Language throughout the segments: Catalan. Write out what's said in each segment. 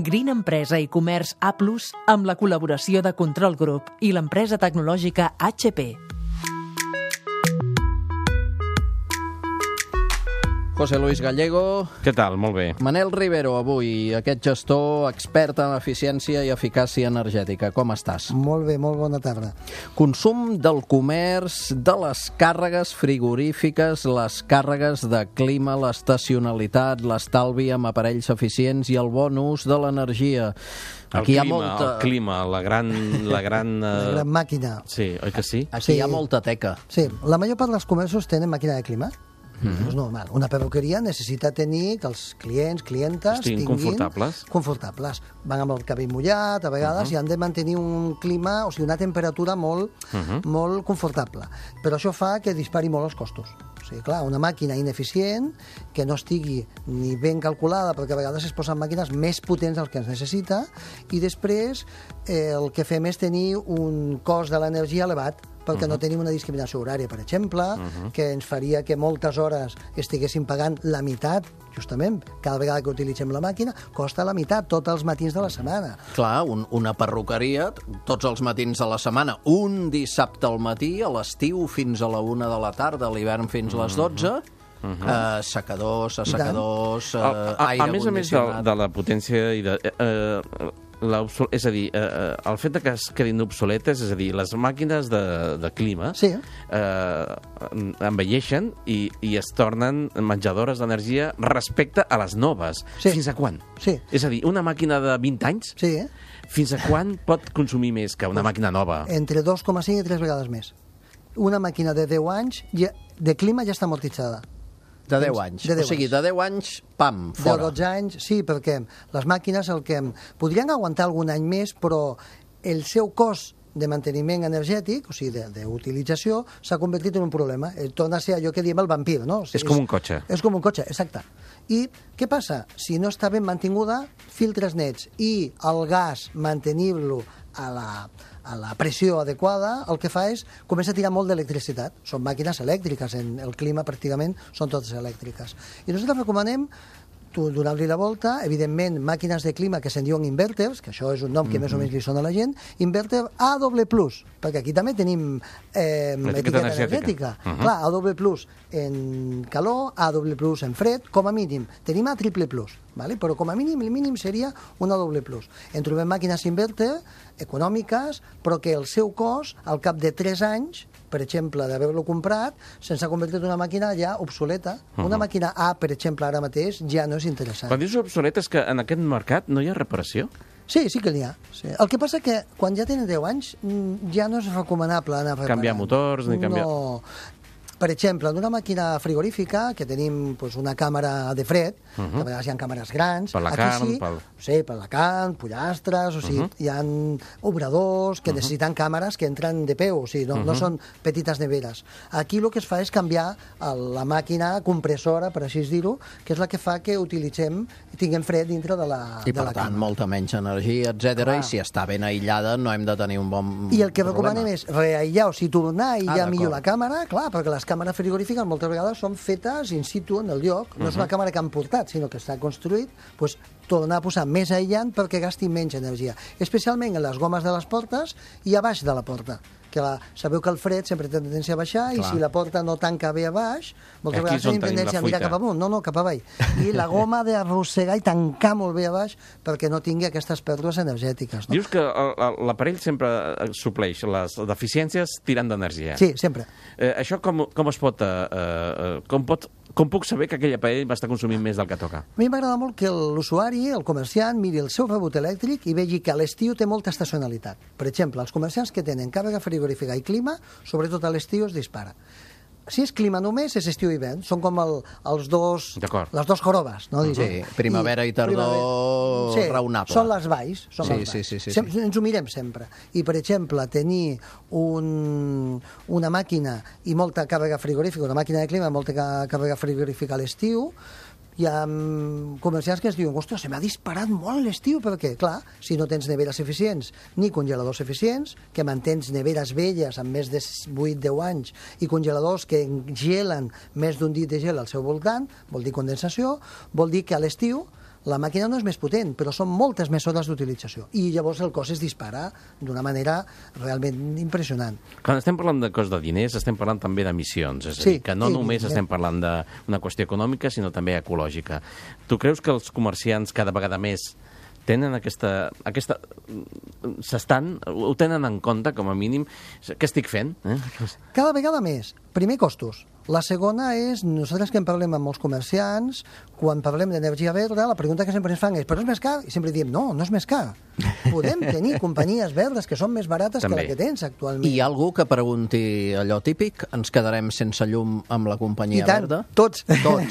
Green Empresa i Comerç A+, amb la col·laboració de Control Group i l'empresa tecnològica HP. José Luis Gallego. Què tal? Molt bé. Manel Rivero, avui, aquest gestor expert en eficiència i eficàcia energètica. Com estàs? Molt bé, molt bona tarda. Consum del comerç, de les càrregues frigorífiques, les càrregues de clima, l'estacionalitat, l'estalvi amb aparells eficients i el bon ús de l'energia. Aquí el clima, la gran... La gran màquina. Sí, oi que sí? Aquí hi ha molta teca. Sí, la major part dels comerços tenen màquina de clima. És normal. Una perruqueria necessita tenir que els clients, clientes estiguin confortables. Van amb el cabell mullat, a vegades, i han de mantenir un clima, o sigui, una temperatura molt confortable. Però això fa que dispari molt els costos. O sigui, clar, una màquina ineficient, que no estigui ni ben calculada, perquè a vegades es posen màquines més potents del que es necessita, i després el que fem és tenir un cost de l'energia elevat, perquè no tenim una discriminació horària, per exemple, que ens faria que moltes hores estiguéssim pagant la meitat, justament, cada vegada que utilitzem la màquina, costa la meitat, tots els matins de la setmana. Clar, una perruqueria, tots els matins de la setmana, un dissabte al matí, a l'estiu fins a la 1 de la tarda, a l'ivern fins a les 12... Secadors, assecadors, aire condicionat... A més de la potència i de... és a dir, el fet que es quedin obsoletes, és a dir, les màquines de clima envelleixen i es tornen menjadores d'energia respecte a les noves. Fins a quan? És a dir, una màquina de 20 anys, fins a quan pot consumir més que una màquina nova? Entre 2,5 i 3 vegades més. Una màquina de 10 anys de clima ja està amortitzada. De 10 anys. O sigui, de 10 anys, pam, fora. De 12 anys, sí, perquè les màquines podrien aguantar algun any més, però el seu cost de manteniment energètic, o sigui, d'utilització, s'ha convertit en un problema. Torna a ser allò que diem el vampir, no? És com un cotxe. És com un cotxe, exacte. I què passa? Si no està ben mantinguda, filtres nets i el gas, mantenir-lo a la pressió adequada, el que fa és comença a tirar molt d'electricitat. Són màquines elèctriques, en el clima pràcticament són totes elèctriques. I nosaltres recomanem donar-li la volta, evidentment, màquines de clima que se'n diuen inverters, que això és un nom que més o menys li sona a la gent, inverter A++, perquè aquí també tenim etiqueta energètica. Clar, A++ en calor, A++ en fred, com a mínim. Tenim A++, però com a mínim, el mínim seria un A++. En trobem màquines inverter econòmiques, però que el seu cost, al cap de 3 anys, per exemple, d'haver-lo comprat, se'ns ha convertit en una màquina ja obsoleta. Una màquina A, per exemple, ara mateix, ja no és interessant. Quan dius obsoleta és que en aquest mercat no hi ha reparació? Sí, sí que n'hi ha. Sí. El que passa que quan ja tenen 10 anys ja no és recomanable anar reparant. Canviar motors ni canviar... No. Per exemple, en una màquina frigorífica, que tenim una càmera de fred, que a vegades hi ha càmeres grans... Per la carn, Sí, per la carn, pollastres, o sigui, hi ha obradors que necessiten càmeres que entren de peu, o sigui, no són petites neveres. Aquí el que es fa és canviar la màquina compressora, per així dir-ho, que és la que fa que utilitzem i tinguem fred dintre de la càmera. I, per tant, molta menys energia, etc. I si està ben aïllada no hem de tenir un bon problema. I el que recomanem és reaïllar, o sigui, tornar a aïllar millor la càmera, clar, perquè les càmeres frigorífiques moltes vegades són fetes in situ en el lloc, no és una càmera que han portat, sinó que està construït, doncs tornar a posar més aïllant perquè gasti menys energia, especialment en les gomes de les portes i a baix de la porta. Sabeu que el fred sempre té tendència a baixar i si la porta no tanca bé a baix, moltes vegades tenim tendència a mirar cap amunt, no, cap avall. I la goma d'arrossegar i tancar molt bé a baix perquè no tingui aquestes pèrdues energètiques. Dius que l'aparell sempre supleix les deficiències tirant d'energia. Sí, sempre. Això com es pot... Com puc saber que aquell aparell va estar consumint més del que toca? A mi m'agrada molt que l'usuari, el comerciant, miri el seu rebut elèctric i vegi que a l'estiu té molta estacionalitat. Per exemple, els comerciants que tenen càrrega frigorífica i clima, sobretot a l'estiu es dispara. Si és clima només, és estiu i hivern. Són com les dos jorobes, no? Sí, primavera i tardor raonable. Són les valls. Sí. Ens ho mirem sempre. I, per exemple, tenir una màquina i molta càrrega frigorífica, una màquina de clima i molta càrrega frigorífica a l'estiu, hi ha comerciants que ens diuen ostres, se m'ha disparat molt l'estiu, perquè, clar, si no tens neveres eficients ni congeladors eficients, que mantens neveres velles amb més de 8-10 anys i congeladors que gelen més d'un dit de gel al seu voltant, vol dir condensació, vol dir que a l'estiu La màquina no és més potent, però són moltes més hores d'utilització. I llavors el cost es dispara d'una manera realment impressionant. Quan estem parlant de cost de diners, estem parlant també d'emissions. És a dir, que no només estem parlant d'una qüestió econòmica, sinó també ecològica. Tu creus que els comerciants cada vegada més tenen ho tenen en compte, com a mínim? Què estic fent? Cada vegada més. Primer, costos. La segona és, nosaltres que en parlem amb molts comerciants, quan parlem d'energia verda, la pregunta que sempre ens fan és, però és més car? I sempre diem, no és més car. Podem tenir companyies verdes que són més barates que la que tens actualment. Hi ha algú que pregunti allò típic? Ens quedarem sense llum amb la companyia verda? Tots. Tothom.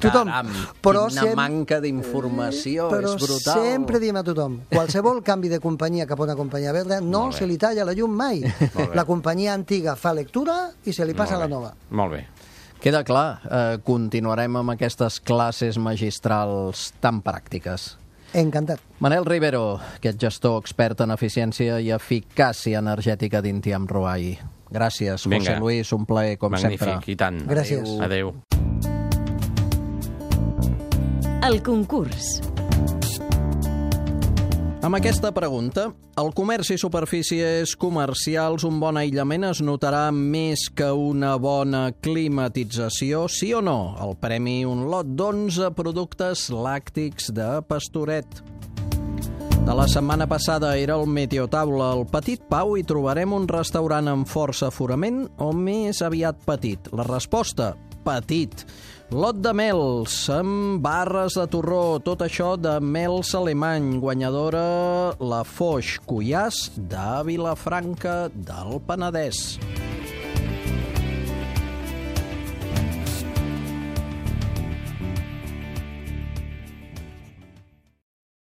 Caram, quina manca d'informació, és brutal. Però sempre diem a tothom, qualsevol canvi de companyia cap a una companyia verda no se li talla la llum mai. La companyia antiga fa lectura i se li passa a la nova. Molt bé. Queda clar, continuarem amb aquestes classes magistrals tan pràctiques. Encantat. Manel Rivero, aquest gestor expert en eficiència i eficàcia energètica d'Intiam Ruai. Gràcies, José Luis, un plaer com sempre. Magnífic, i tant. Gràcies. Adéu. El concurs. Amb aquesta pregunta, el comerç i superfícies comercials, un bon aïllament es notarà més que una bona climatització, sí o no? El premi, un lot d'11 productes làctics de Pastoret. De la setmana passada era el Meteotaula al Petit Pau i trobarem un restaurant amb força aforament o més aviat petit? La resposta, petit. Lot de mels amb barres de torró, tot això de mels alemany, guanyadora la Foix Cuyàs de Vilafranca del Penedès.